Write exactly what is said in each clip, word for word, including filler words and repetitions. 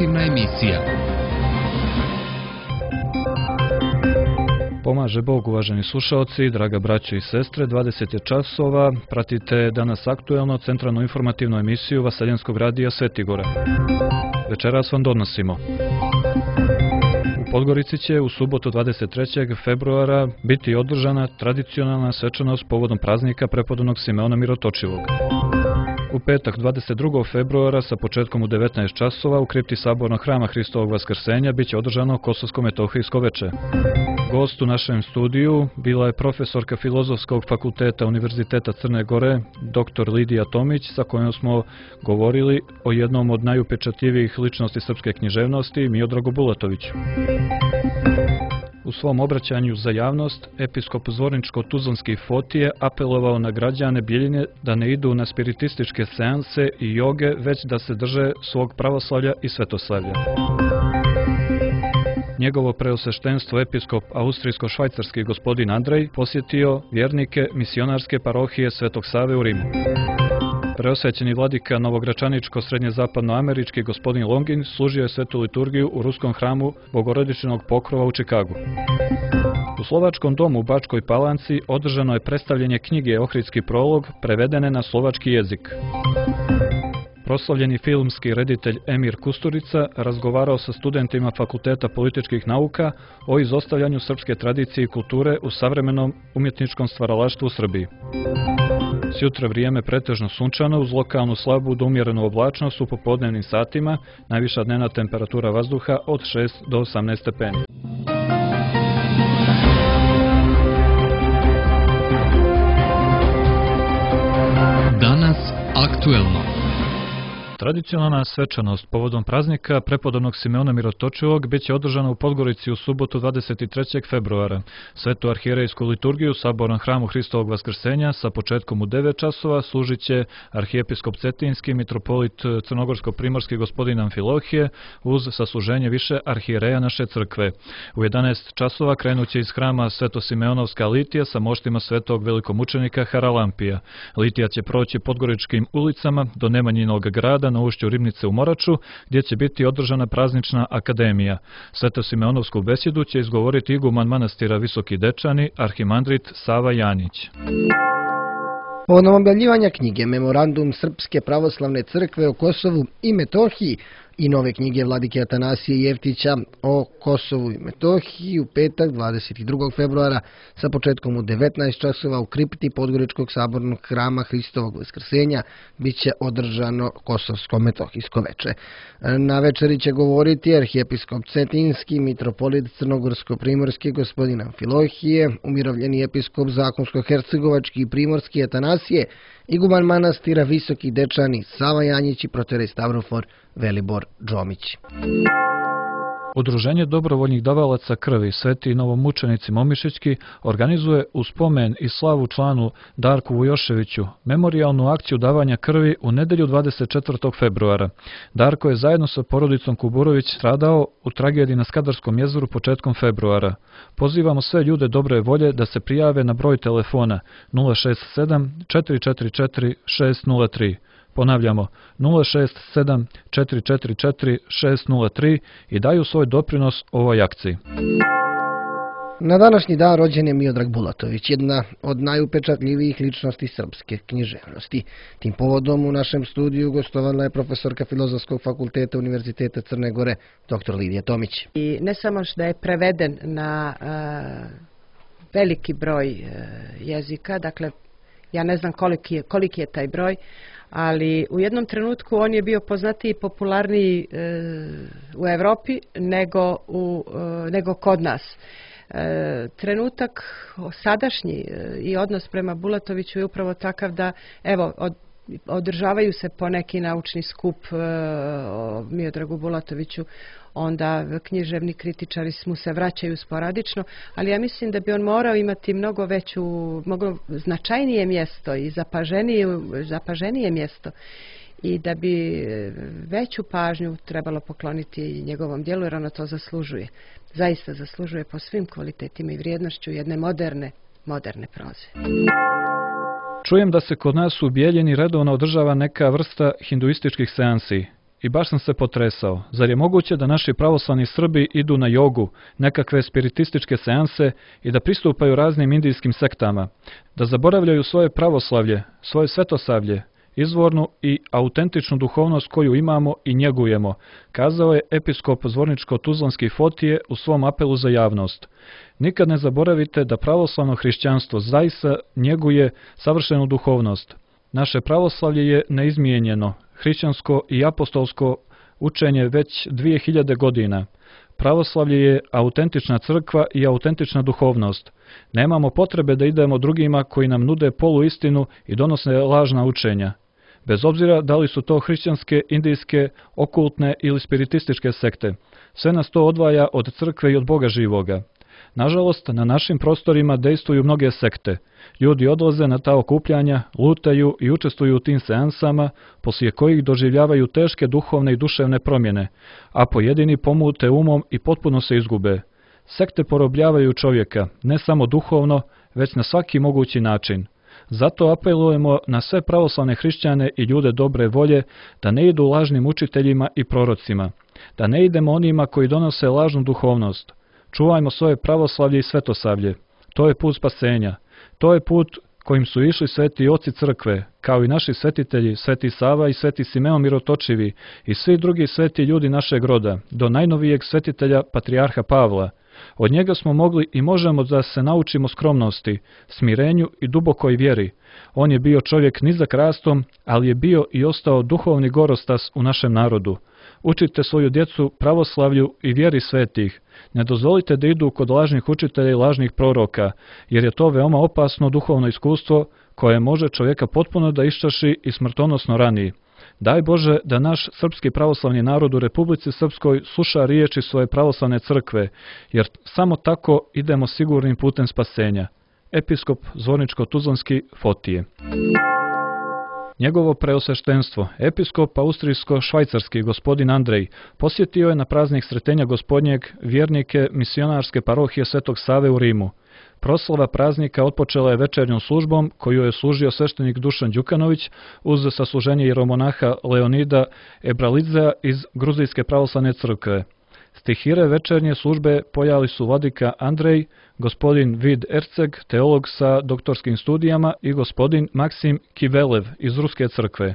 informativna emisija. Pomaže Bog, uvaženi slušaoci, draga braćo i sestre, dvadeset je časova, pratite danas aktuelno centralnu informativnu emisiju Vaseljenskog radija Svetigora. Večeras vam donosimo. U Podgorici će u subotu dvadeset trećeg februara biti održana tradicionalna svečanost povodom praznika prepodobnog Simeona Mirotočivog. U petak dvadeset drugog februara sa početkom u devetnaest časova u kripti Sabornog hrama Hristovog Vaskrsenja biće održano Kosovsko-metohijsko veče. Gost u našem studiju bila je profesorka Filozofskog fakulteta Univerziteta Crne Gore, doktor Lidija Tomić, sa kojom smo govorili o jednom od najupečatljivijih ličnosti srpske književnosti, Miodragu Bulatoviću. U svom obraćanju za javnost, episkop Zvorničko-Tuzlanski Fotije apelovao na građane Bijeljine da ne idu na spiritističke seanse i joge, već da se drže svog pravoslavlja i svetoslavlja. Njegovo preosveštenstvo episkop austrijsko-švajcarski gospodin Andrej posjetio vjernike misionarske parohije Svetog Save u Rimu. Preosvećeni vladika novogračaničko-srednjezapadnoamerički gospodin Longin služio je svetu liturgiju u ruskom hramu Bogorodičnog pokrova u Čikagu. U Slovačkom domu u Bačkoj Palanci održano je predstavljanje knjige Ohridski prolog prevedene na slovački jezik. Proslavljeni filmski reditelj Emir Kusturica razgovarao sa studentima Fakulteta političkih nauka o izostavljanju srpske tradicije i kulture u savremenom umjetničkom stvaralaštvu u Srbiji. Sjutra vrijeme pretežno sunčano uz lokalnu slabu do umjerenu oblačnost u popodnevnim satima, najviša dnevna temperatura vazduha od šest do osamnaest stepeni. Danas aktuelno. Tradicionalna svečanost povodom praznika prepodobnog Simeona Mirotočivog biće održana u Podgorici u subotu dvadeset trećeg februara. Svetu arhijerejsku liturgiju u Sabornom hramu Hristovog Vaskrsenja sa početkom u devet časova služit će arhijepiskop Cetinski, mitropolit Crnogorsko-primorski gospodin Amfilohije uz sasluženje više arhijereja naše crkve. U jedanaest časova krenut će iz hrama Sveto-Simeonovska litija sa moštima svetog velikomučenika Haralampija. Litija će proći podgoričkim ulicama do Nemanjinog grada na ušću Ribnice u Moraču, gdje će biti održana praznična akademija. Sveto-Simeonovsku besjedu će izgovoriti iguman manastira Visoki Dečani, arhimandrit Sava Janjić. Povodom objavljivanja knjige Memorandum Srpske pravoslavne crkve o Kosovu i Metohiji i nove knjige vladike Atanasije Jeftića o Kosovu i Metohiji u petak dvadeset drugog februara sa početkom u devetnaest časova u kripti Podgoričkog sabornog hrama Hristovog Vaskrsenja biće održano Kosovsko-metohijsko veče. Na večeri će govoriti arhijepiskop Cetinski, mitropolit Crnogorsko-primorski gospodin Amfilohije, umirovljeni episkop Zakonsko-hercegovački i primorski Atanasije, iguman manastira Visoki Dečani Sava Janjić i protorej Stavrofor Velibor Džomić. Udruženje dobrovoljnih davalaca krvi Sveti novomučenici Momišićki organizuje u spomen i slavu članu Darku Vujoševiću memorijalnu akciju davanja krvi u nedjelju dvadeset četvrtog februara. Darko je zajedno sa porodicom Kuburović stradao u tragediji na Skadarskom jezeru početkom februara. Pozivamo sve ljude dobre volje da se prijave na broj telefona nula šest sedam četiri četiri četiri šest nula tri. Ponavljamo, nula šest sedam četiri četiri četiri šest nula tri i daju svoj doprinos ovoj akciji. Na današnji dan rođen je Miodrag Bulatović, jedna od najupečatljivijih ličnosti srpske književnosti. Tim povodom u našem studiju gostovala je profesorka Filozofskog fakulteta Univerziteta Crne Gore, doktor Lidija Tomić. I ne samo da je preveden na uh, veliki broj uh, jezika, dakle, ja ne znam koliki je, koliki je taj broj, ali u jednom trenutku on je bio poznatiji i popularniji e, u Europi nego, u, e, nego kod nas. E, trenutak sadašnji e, i odnos prema Bulatoviću je upravo takav da evo od, održavaju se poneki naučni skup e, o Miodragu Bulatoviću, onda književni kritičari mu se vraćaju sporadično, ali ja mislim da bi on morao imati mnogo veću, mnogo značajnije mjesto i zapaženije, zapaženije mjesto i da bi veću pažnju trebalo pokloniti njegovom djelu, jer ono to zaslužuje. Zaista zaslužuje po svim kvalitetima i vrijednošću jedne moderne, moderne proze. Čujem da se kod nas u Bijeljini redovno održava neka vrsta hinduističkih seansi. I baš sam se potresao. Zar je moguće da naši pravoslavni Srbi idu na jogu, nekakve spiritističke seanse i da pristupaju raznim indijskim sektama, da zaboravljaju svoje pravoslavlje, svoje svetosavlje, izvornu i autentičnu duhovnost koju imamo i njegujemo, kazao je episkop Zvorničko-Tuzlanski Fotije u svom apelu za javnost. Nikad ne zaboravite da pravoslavno hrišćanstvo zaista njeguje savršenu duhovnost. Naše pravoslavlje je neizmijenjeno, hrišćansko i apostolsko učenje već dvije hiljade godina. Pravoslavlje je autentična crkva i autentična duhovnost. Nemamo potrebe da idemo drugima koji nam nude poluistinu i donose lažna učenja. Bez obzira da li su to hrišćanske, indijske, okultne ili spiritističke sekte, sve nas to odvaja od crkve i od Boga živoga. Nažalost, na našim prostorima dejstvuju mnoge sekte. Ljudi odlaze na ta okupljanja, lutaju i učestvuju u tim seansama, poslije kojih doživljavaju teške duhovne i duševne promjene, a pojedini pomute umom i potpuno se izgube. Sekte porobljavaju čovjeka, ne samo duhovno, već na svaki mogući način. Zato apelujemo na sve pravoslavne hrišćane i ljude dobre volje da ne idu lažnim učiteljima i prorocima, da ne idemo onima koji donose lažnu duhovnost. Čuvajmo svoje pravoslavlje i svetosavlje. To je put spasenja. To je put kojim su išli sveti oci crkve, kao i naši svetitelji, sveti Sava i sveti Simeon Mirotočivi i svi drugi sveti ljudi našeg roda, do najnovijeg svetitelja patrijarha Pavla. Od njega smo mogli i možemo da se naučimo skromnosti, smirenju i dubokoj vjeri. On je bio čovjek nizak rastom, ali je bio i ostao duhovni gorostas u našem narodu. Učite svoju djecu pravoslavlju i vjeri svetih. Ne dozvolite da idu kod lažnih učitelja i lažnih proroka, jer je to veoma opasno duhovno iskustvo koje može čovjeka potpuno da iščaši i smrtonosno rani. Daj Bože da naš srpski pravoslavni narod u Republici Srpskoj sluša riječi svoje pravoslavne crkve, jer samo tako idemo sigurnim putem spasenja. Episkop Zvorničko-Tuzlanski Fotije. Njegovo preosveštenstvo, episkop austrijsko-švajcarski gospodin Andrej, posjetio je na praznik Sretenja Gospodnjeg vjernike misionarske parohije Svetog Save u Rimu. Proslava praznika otpočela je večernjom službom koju je služio sveštenik Dušan Đukanović uz sasluženje jeromonaha Leonida Ebralidzea iz Gruzijske pravoslavne crkve. Stihire večernje službe pojali su vladika Andrej, gospodin Vid Erceg, teolog sa doktorskim studijama i gospodin Maksim Kivelev iz Ruske crkve.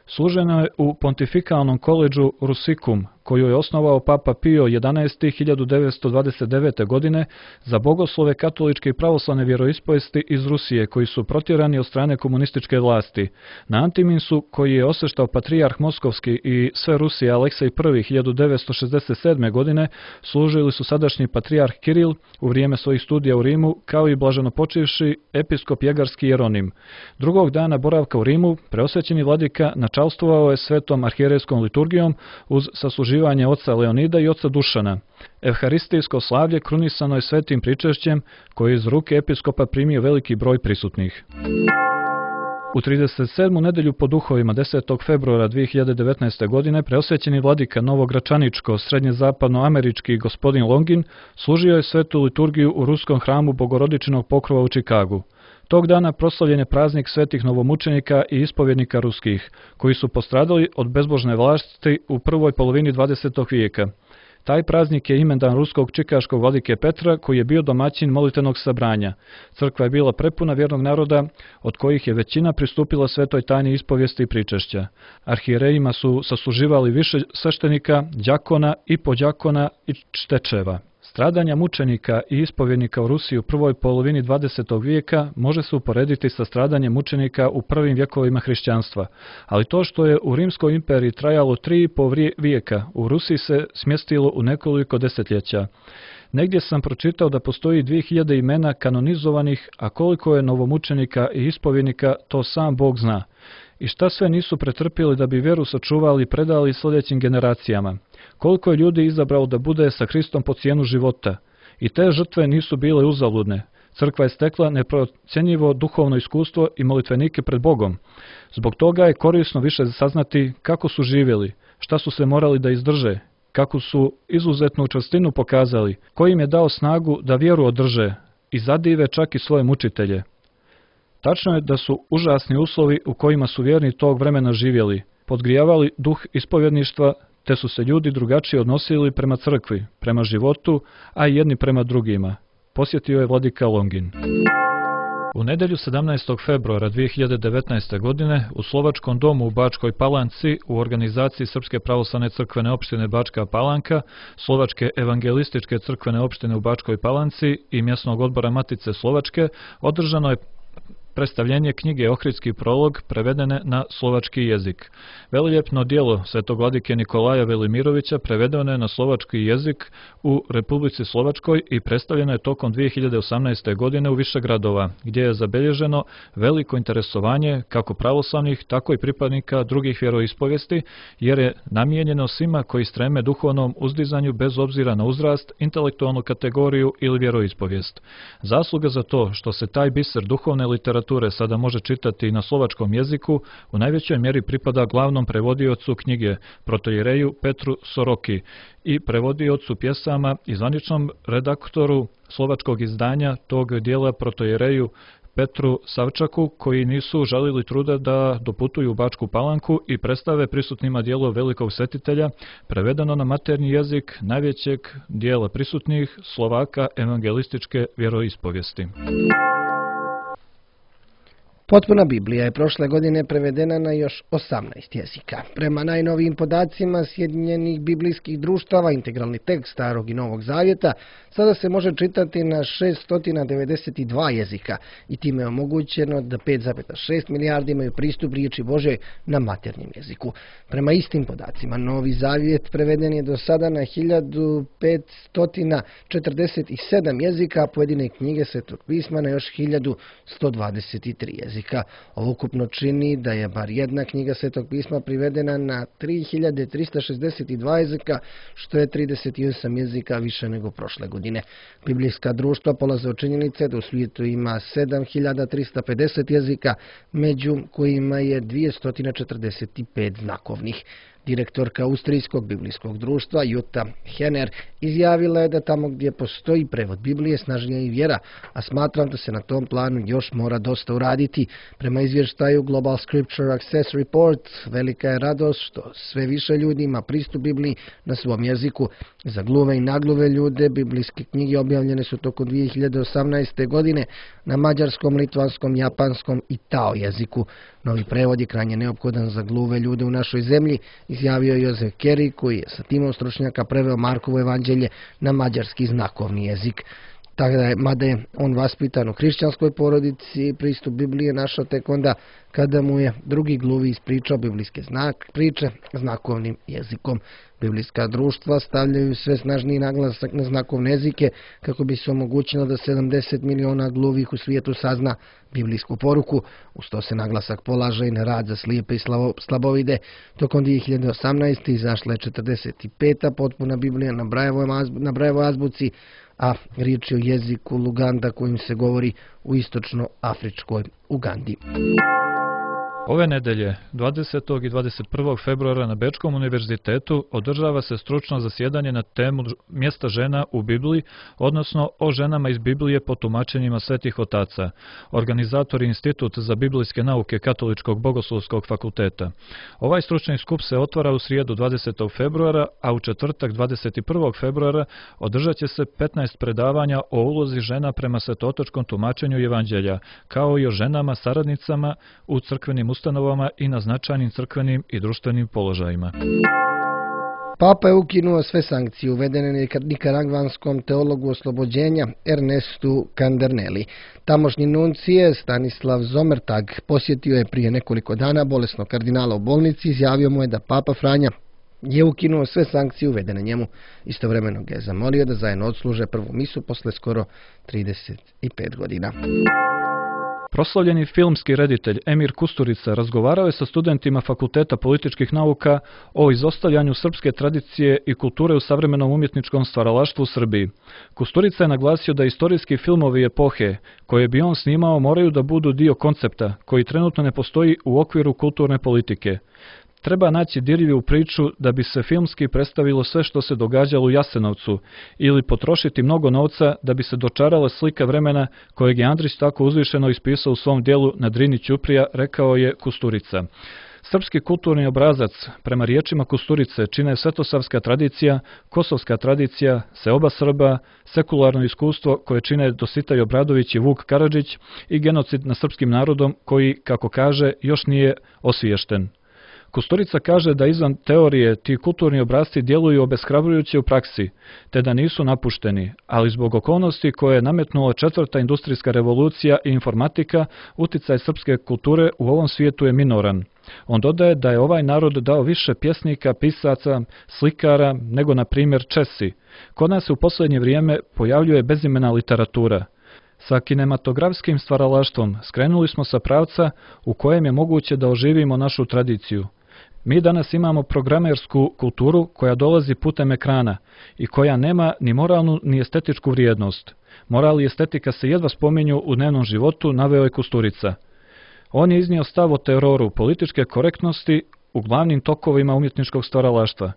Služeno je u Pontifikalnom koledžu Rusikum, koju je osnovao Papa Pio jedanaesti. hiljadu devetsto dvadeset devete. godine za bogoslove katoličke i pravoslavne vjeroispovesti iz Rusije, koji su protjerani od strane komunističke vlasti. Na Antiminsu, koji je osveštao patrijarh Moskovski i sve Rusije Aleksej I. hiljadu devetsto šezdeset sedme. godine, služili su sadašnji patrijarh Kiril u vrijeme svojih studija u Rimu, kao i blaženopočivši episkop Jegarski Jeronim. Drugog dana boravka u Rimu, preosvećeni vladika načalstvovao je svetom arhijerejskom liturgijom uz sasluživanje oca Leonida i oca Dušana. Evharistijsko slavlje krunisano je svetim pričešćem koje iz ruke episkopa primio veliki broj prisutnih. U trideset sedmu nedelju po duhovima desetog februara dvije hiljade devetnaeste. godine preosvećeni vladika Novogračaničko srednjezapadnoamerički gospodin Longin služio je svetu liturgiju u ruskom hramu Bogorodičinog pokrova u Čikagu. Tog dana proslavljen je praznik svetih novomučenika i ispovjednika ruskih, koji su postradali od bezbožne vlasti u prvoj polovini dvadesetog vijeka. Taj praznik je imendan ruskog čikaškog vladike Petra, koji je bio domaćin molitvenog sabranja. Crkva je bila prepuna vjernog naroda, od kojih je većina pristupila svetoj tajni ispovijesti i pričešća. Arhijerejima su sasluživali više sveštenika, đakona i podđakona i čtečeva. Stradanja mučenika i ispovjednika u Rusiji u prvoj polovini dvadesetog vijeka može se uporediti sa stradanjem mučenika u prvim vjekovima hrišćanstva, ali to što je u Rimskoj imperiji trajalo tri i po vijeka, u Rusiji se smjestilo u nekoliko desetljeća. Negdje sam pročitao da postoji dvije hiljade imena kanonizovanih, a koliko je novomučenika i ispovjednika, to sam Bog zna. I šta sve nisu pretrpjeli da bi vjeru sačuvali i predali sljedećim generacijama. Koliko je ljudi izabralo da bude sa Hristom po cijenu života. I te žrtve nisu bile uzaludne. Crkva je stekla neprocjenjivo duhovno iskustvo i molitvenike pred Bogom. Zbog toga je korisno više saznati kako su živjeli, šta su se morali da izdrže, kako su izuzetnu čvrstinu pokazali, koji im je dao snagu da vjeru održe i zadive čak i svoje mučitelje. Tačno je da su užasni uslovi u kojima su vjerni tog vremena živjeli. podgrijavali duh ispovjedništva, te su se ljudi drugačije odnosili prema crkvi, prema životu, a i jedni prema drugima. Posjetio je vladika Longin. U nedjelju sedamnaestog februara dvije hiljade devetnaeste. godine u Slovačkom domu u Bačkoj Palanci u organizaciji Srpske pravoslavne crkvene opštine Bačka Palanka, Slovačke evangelističke crkvene opštine u Bačkoj Palanci i mjesnog odbora Matice Slovačke održano je predstavljenje knjige Ohridski prolog prevedene na slovački jezik. Veliljepno djelo svetog vladike Nikolaja Velimirovića prevedeno je na slovački jezik u Republici Slovačkoj i predstavljeno je tokom dvije hiljade osamnaeste. godine u više gradova, gdje je zabilježeno veliko interesovanje kako pravoslavnih, tako i pripadnika drugih vjeroispovijesti, jer je namijenjeno svima koji streme duhovnom uzdizanju bez obzira na uzrast, intelektualnu kategoriju ili vjeroispovijest. Zasluga za to što se taj biser duhovne literature sada može čitati i na slovačkom jeziku, u najvećoj mjeri pripada glavnom prevodiocu knjige, protojereju Petru Soroki, i prevodiocu pjesama i zvaničnom redaktoru slovačkog izdanja tog dijela protojereju Petru Savčaku, koji nisu žalili truda da doputuju u Bačku Palanku i predstave prisutnima dijelo velikog svetitelja, prevedeno na maternji jezik najvećeg dijela prisutnih Slovaka evangelističke vjeroispovijesti. Potpuna Biblija je prošle godine prevedena na još osamnaest jezika. Prema najnovijim podacima Sjedinjenih biblijskih društava, integralni tekst Starog i Novog Zavjeta sada se može čitati na šesto devedeset dva jezika i time je omogućeno da pet zarez šest milijardi imaju pristup riječi Božoj na maternjem jeziku. Prema istim podacima, Novi Zavjet preveden je do sada na hiljadu petsto četrdeset sedam jezika, a pojedine knjige Svetog pisma na još hiljadu sto dvadeset tri jezika. Ovo ukupno čini da je bar jedna knjiga Svetog pisma privedena na tri hiljade trista šezdeset dva jezika, što je trideset osam jezika više nego prošle godine. Biblijska društva polaze od činjenice da u svijetu ima sedam hiljada trista pedeset jezika, među kojima je dvjesto četrdeset pet znakovnih. Direktorka Austrijskog biblijskog društva Jutta Henner izjavila je da tamo gdje postoji prevod Biblije snažnija i vjera, a smatram da se na tom planu još mora dosta uraditi. Prema izvještaju Global Scripture Access Report, velika je radost što sve više ljudi ima pristup Bibliji na svom jeziku. Za gluve i nagluve ljude biblijske knjige objavljene su tokom dvije hiljade osamnaeste. godine na mađarskom, litvanskom, japanskom i tao jeziku. Novi prevod je krajnje neophodan za gluve ljude u našoj zemlji, izjavio je Jozef Keri, koji je sa timom stručnjaka preveo Markovo evanđelje na mađarski znakovni jezik. Tako da je, mada je on vaspitan u hrišćanskoj porodici, pristup Biblije našao tek onda kada mu je drugi gluvi ispričao biblijske znak, priče znakovnim jezikom. Biblijska društva stavljaju sve snažniji naglasak na znakovne jezike kako bi se omogućilo da sedamdeset miliona gluvih u svijetu sazna biblijsku poruku. Uz to se naglasak polaže i na rad za slijepe i slabovide. Tokom dvije hiljade osamnaeste. izašla je četrdeset peta potpuna Biblija na Brajevoj azbuci, a riječ je o jeziku Luganda kojim se govori u istočno-afričkoj Ugandi. Ove nedelje, dvadesetog i dvadeset prvog februara na Bečkom univerzitetu održava se stručno zasjedanje na temu mjesta žena u Bibliji, odnosno o ženama iz Biblije po tumačenjima svetih otaca. Organizator je Institut za biblijske nauke Katoličkog bogoslovskog fakulteta. Ovaj stručni skup se otvara u srijedu dvadesetog februara, a u četvrtak dvadeset prvog februara održat će se petnaest predavanja o ulozi žena prema svetotočkom tumačenju evanđelja, kao i o ženama saradnicama u crkvenim ustanovama i na značajnim crkvenim i društvenim položajima. Papa je ukinuo sve sankcije uvedene nikaragvanskom teologu oslobođenja Ernestu Kanderneli. Tamošnji nuncije Stanislav Zomertag posjetio je prije nekoliko dana bolesnog kardinala u bolnici, izjavio mu je da Papa Franja je ukinuo sve sankcije uvedene njemu. Istovremeno ga je zamolio da zajedno odsluže prvu misu posle skoro trideset pet godina. Proslavljeni filmski reditelj Emir Kusturica razgovarao je sa studentima Fakulteta političkih nauka o izostavljanju srpske tradicije i kulture u savremenom umjetničkom stvaralaštvu u Srbiji. Kusturica je naglasio da istorijski filmovi epohe koje bi on snimao moraju da budu dio koncepta koji trenutno ne postoji u okviru kulturne politike. Treba naći dirljivu priču da bi se filmski predstavilo sve što se događalo u Jasenovcu ili potrošiti mnogo novca da bi se dočarala slika vremena kojeg je Andrić tako uzvišeno ispisao u svom dijelu Na Drini Ćuprija, rekao je Kusturica. Srpski kulturni obrazac, prema riječima Kusturice, čine svetosavska tradicija, kosovska tradicija, seoba Srba, sekularno iskustvo koje čine Dositej Obradović i Vuk Karadžić i genocid nad srpskim narodom koji, kako kaže, još nije osviješten. Kusturica kaže da izvan teorije ti kulturni obrasci djeluju obeshrabrujuće u praksi, te da nisu napušteni, ali zbog okolnosti koje je nametnula četvrta industrijska revolucija i informatika, uticaj srpske kulture u ovom svijetu je minoran. On dodaje da je ovaj narod dao više pjesnika, pisaca, slikara nego na primjer Česi. Kod nas se u posljednje vrijeme pojavljuje bezimena literatura. Sa kinematografskim stvaralaštvom skrenuli smo sa pravca u kojem je moguće da oživimo našu tradiciju. Mi danas imamo programersku kulturu koja dolazi putem ekrana i koja nema ni moralnu ni estetičku vrijednost. Moral i estetika se jedva spominju u dnevnom životu, naveo je Kusturica. On je iznio stav o teroru političke korektnosti u glavnim tokovima umjetničkog stvaralaštva.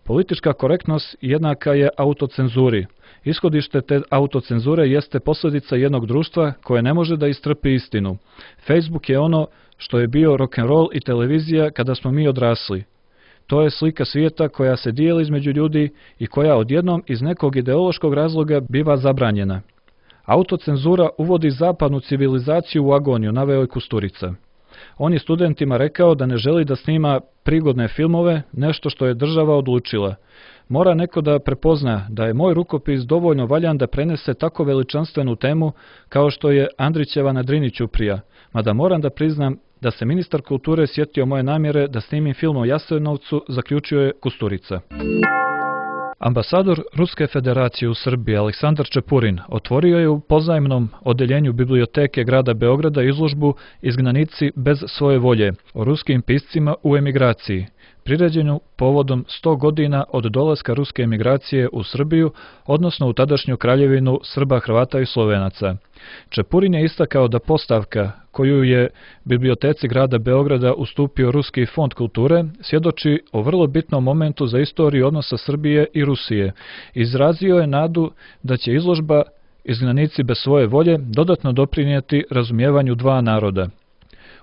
Politička korektnost jednaka je autocenzuri. Ishodište te autocenzure jeste posljedica jednog društva koje ne može da istrpi istinu. Facebook je ono što je bio rock'n'roll i televizija kada smo mi odrasli. To je slika svijeta koja se dijeli između ljudi i koja odjednom iz nekog ideološkog razloga biva zabranjena. Autocenzura uvodi zapadnu civilizaciju u agoniju, naveo je Kusturica. On je studentima rekao da ne želi da snima prigodne filmove, nešto što je država odlučila. Mora neko da prepozna da je moj rukopis dovoljno valjan da prenese tako veličanstvenu temu kao što je Andrićeva na Drini ćuprija, mada moram da priznam da se ministar kulture sjetio moje namjere da snimim film o Jasenovcu, zaključio je Kusturica. Ambasador Ruske federacije u Srbiji Aleksandar Čepurin otvorio je u pozajmnom odeljenju biblioteke grada Beograda izložbu Izgnanici bez svoje volje o ruskim piscima u emigraciji, priređenu povodom sto godina od dolaska ruske emigracije u Srbiju, odnosno u tadašnju kraljevinu Srba, Hrvata i Slovenaca. Čepurin je istakao da postavka koju je biblioteci grada Beograda ustupio Ruski fond kulture svjedoči o vrlo bitnom momentu za istoriju odnosa Srbije i Rusije. Izrazio je nadu da će izložba Izgnanici bez svoje volje dodatno doprinijeti razumijevanju dva naroda.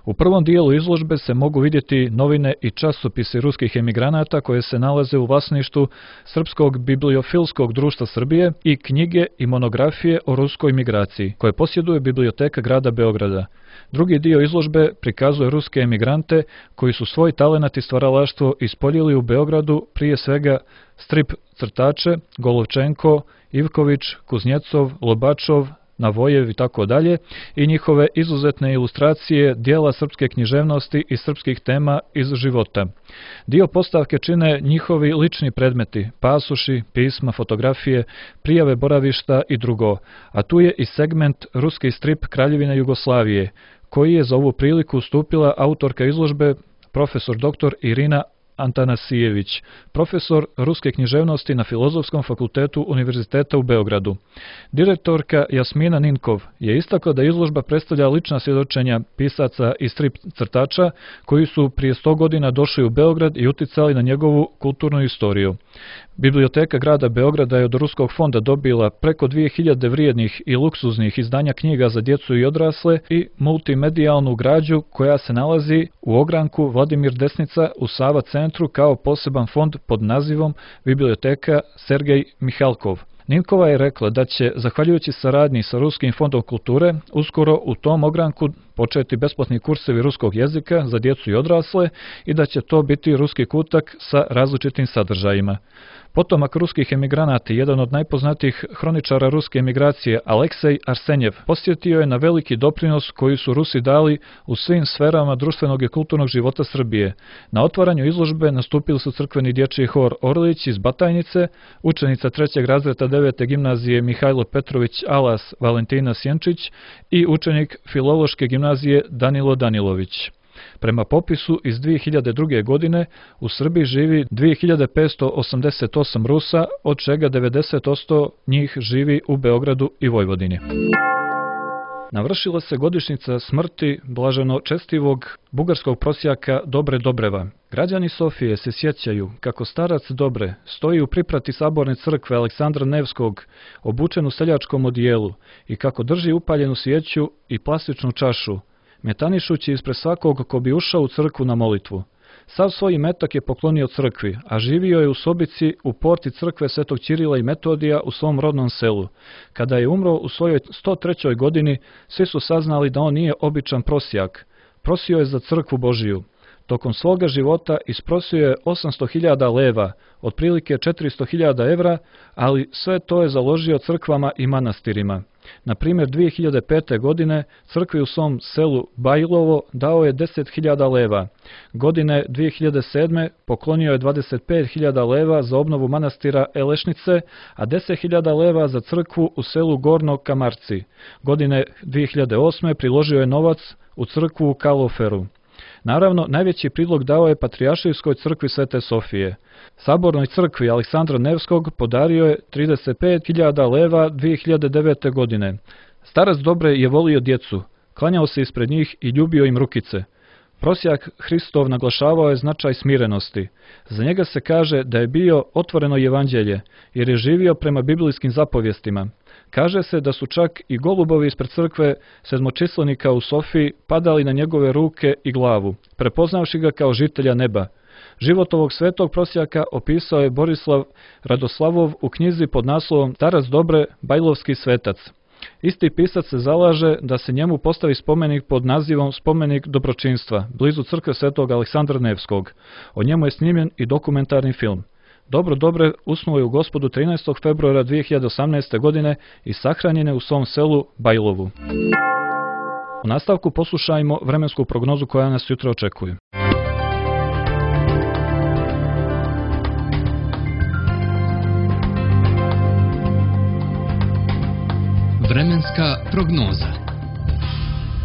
U prvom dijelu izložbe se mogu vidjeti novine i časopisi ruskih emigranata koje se nalaze u vlasništvu Srpskog bibliofilskog društva Srbije i knjige i monografije o ruskoj migraciji, koje posjeduje biblioteka grada Beograda. Drugi dio izložbe prikazuje ruske emigrante koji su svoj talenat i stvaralaštvo ispoljili u Beogradu, prije svega strip crtače, Golovčenko, Ivković, Kuznjecov, Lobačov, Navojev i tako dalje, i njihove izuzetne ilustracije dijela srpske književnosti i srpskih tema iz života. Dio postavke čine njihovi lični predmeti, pasoši, pisma, fotografije, prijave boravišta i drugo, a tu je i segment ruski strip Kraljevine Jugoslavije, koji je za ovu priliku ustupila autorka izložbe, profesor doktor Irina Antanasijević, profesor ruske književnosti na Filozofskom fakultetu Univerziteta u Beogradu. Direktorka Jasmina Ninkov je istakla da izložba predstavlja lična svjedočenja pisaca i strip crtača koji su prije sto godina došli u Beograd i uticali na njegovu kulturnu istoriju. Biblioteka grada Beograda je od Ruskog fonda dobila preko dvije hiljade vrijednih i luksuznih izdanja knjiga za djecu i odrasle i multimedijalnu građu koja se nalazi u ogranku Vladimir Desnica u Sava centru kao poseban fond pod nazivom Biblioteka Sergej Mihalkov. Ninkova je rekla da će, zahvaljujući saradnji sa Ruskim fondom kulture, uskoro u tom ogranku početi besplatni kursevi ruskog jezika za djecu i odrasle i da će to biti ruski kutak sa različitim sadržajima. Potomak ruskih emigranata, jedan od najpoznatijih hroničara ruske emigracije, Aleksej Arsenjev, posjetio je na veliki doprinos koji su Rusi dali u svim sferama društvenog i kulturnog života Srbije. Na otvaranju izložbe nastupili su crkveni dječji hor Orlić iz Batajnice, učenica trećeg razreda devete gimnazije Mihajlo Petrović Alas Valentina Sjenčić i učenik Filološke gimnazije Danilo Danilović. Prema popisu iz dvije hiljade druge. godine u Srbiji živi dvije hiljade petsto osamdeset osam Rusa, od čega devedeset posto njih živi u Beogradu i Vojvodini. Navršila se godišnjica smrti blaženo čestivog bugarskog prosjaka Dobre Dobreva. Građani Sofije se sjećaju kako starac Dobre stoji u priprati saborne crkve Aleksandra Nevskog, obučen u seljačkom odijelu, i kako drži upaljenu svijeću i plastičnu čašu, metanišući ispred svakog ko bi ušao u crkvu na molitvu. Sav svoj imetak je poklonio crkvi, a živio je u sobici u porti crkve Svetog Ćirila i Metodija u svom rodnom selu. Kada je umro u svojoj sto trećoj godini, svi su saznali da on nije običan prosjak. Prosio je za crkvu Božiju. Tokom svoga života isprosio je osamsto hiljada leva, otprilike četiristo hiljada evra, ali sve to je založio crkvama i manastirima. Na primjer, dvije hiljade pete. godine crkvi u svom selu Bajlovo dao je deset hiljada leva. Godine dvije hiljade sedme. poklonio je dvadeset pet hiljada leva za obnovu manastira Elešnice, a deset hiljada leva za crkvu u selu Gorno Kamarci. Godine dvije hiljade osme. priložio je novac u crkvu u Kaloferu. Naravno, najveći prilog dao je Patrijaršijskoj crkvi Svete Sofije. Sabornoj crkvi Aleksandra Nevskog podario je trideset pet hiljada leva dvije hiljade devete. godine. Starac Dobre je volio djecu, klanjao se ispred njih i ljubio im rukice. Prosjak Hristov naglašavao je značaj smirenosti. Za njega se kaže da je bio otvoreno evanđelje, jer je živio prema biblijskim zapovjestima. Kaže se da su čak i golubovi ispred crkve sedmočislenika u Sofiji padali na njegove ruke i glavu, prepoznavši ga kao žitelja neba. Život ovog svetog prosjaka opisao je Borislav Radoslavov u knjizi pod naslovom Starac Dobre, Bajlovski svetac. Isti pisac se zalaže da se njemu postavi spomenik pod nazivom Spomenik dobročinstva, blizu crkve Svetog Aleksandra Nevskog. O njemu je snimljen i dokumentarni film. Dobro Dobre usnuo je u Gospodu trinaestog februara dvije hiljade osamnaeste. godine i sahranjen je u svom selu Bajlovu. U nastavku poslušajmo vremensku prognozu koja nas jutra očekuje. Vremenska prognoza.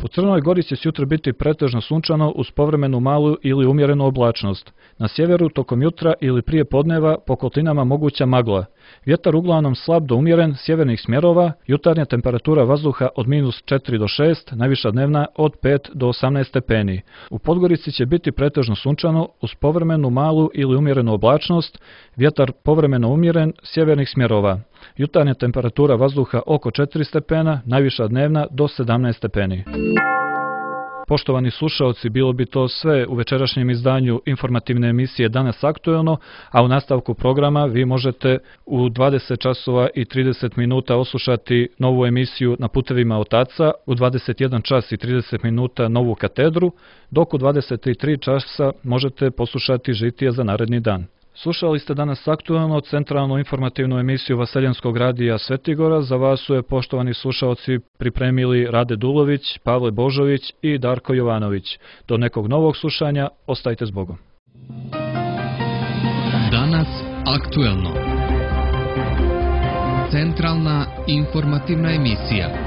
U Crnoj Gori će sutra biti pretežno sunčano uz povremenu malu ili umjerenu oblačnost. Na sjeveru tokom jutra ili prije podneva po kolinama moguća magla. Vjetar uglavnom slab do umjeren sjevernih smjerova, jutarnja temperatura vazduha od minus četiri do šest, najviša dnevna od pet do osamnaest stepeni. U Podgorici će biti pretežno sunčano uz povremenu malu ili umjerenu oblačnost, vjetar povremeno umjeren sjevernih smjerova. Jutarnja temperatura vazduha oko četiri stepena, najviša dnevna do sedamnaest stepeni. Poštovani slušaoci, bilo bi to sve u večerašnjem izdanju informativne emisije Danas aktuelno, a u nastavku programa vi možete u dvadeset časova i trideset minuta oslušati novu emisiju Na putevima otaca, u dvadeset jedan čas i trideset minuta novu katedru, dok u dvadeset tri časa možete poslušati žitije za naredni dan. Slušali ste Danas aktuelno centralnu informativnu emisiju Vaseljenskog radija Svetigora. Za vas su je, poštovani slušaoci, pripremili Rade Dulović, Pavle Božović i Darko Jovanović. Do nekog novog slušanja, ostajte s Bogom. Danas aktuelno. Centralna informativna emisija.